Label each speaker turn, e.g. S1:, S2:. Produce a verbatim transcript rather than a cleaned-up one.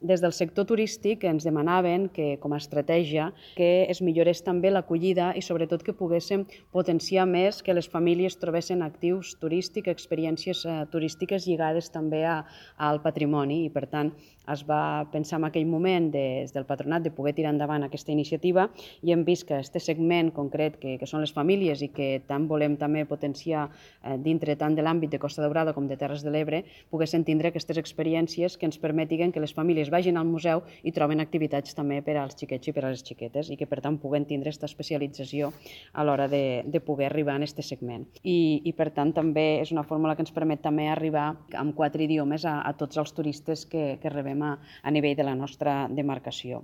S1: Des del sector turístic ens demanaven que, com a estratègia, que es millorés també l'acollida i sobretot que poguéssim potenciar més que les famílies trobessin actius turístics, experiències eh, turístiques lligades també a, al patrimoni i per tant es va pensar en aquell moment des del patronat de poder tirar endavant aquesta iniciativa i hem vist que aquest segment concret que, que són les famílies i que tant volem també potenciar eh, dintre tant de l'àmbit de Costa Daurada com de Terres de l'Ebre poguessin tindre aquestes experiències que ens permetin que les famílies vagin al museu i troben activitats també per als xiquets i per a les xiquetes i que per tant puguen tindre aquesta especialització a l'hora de, de poder arribar en aquest segment. I, I per tant també és una fórmula que ens permet també arribar amb quatre idiomes a, a tots els turistes que, que rebem a, a nivell de la nostra demarcació.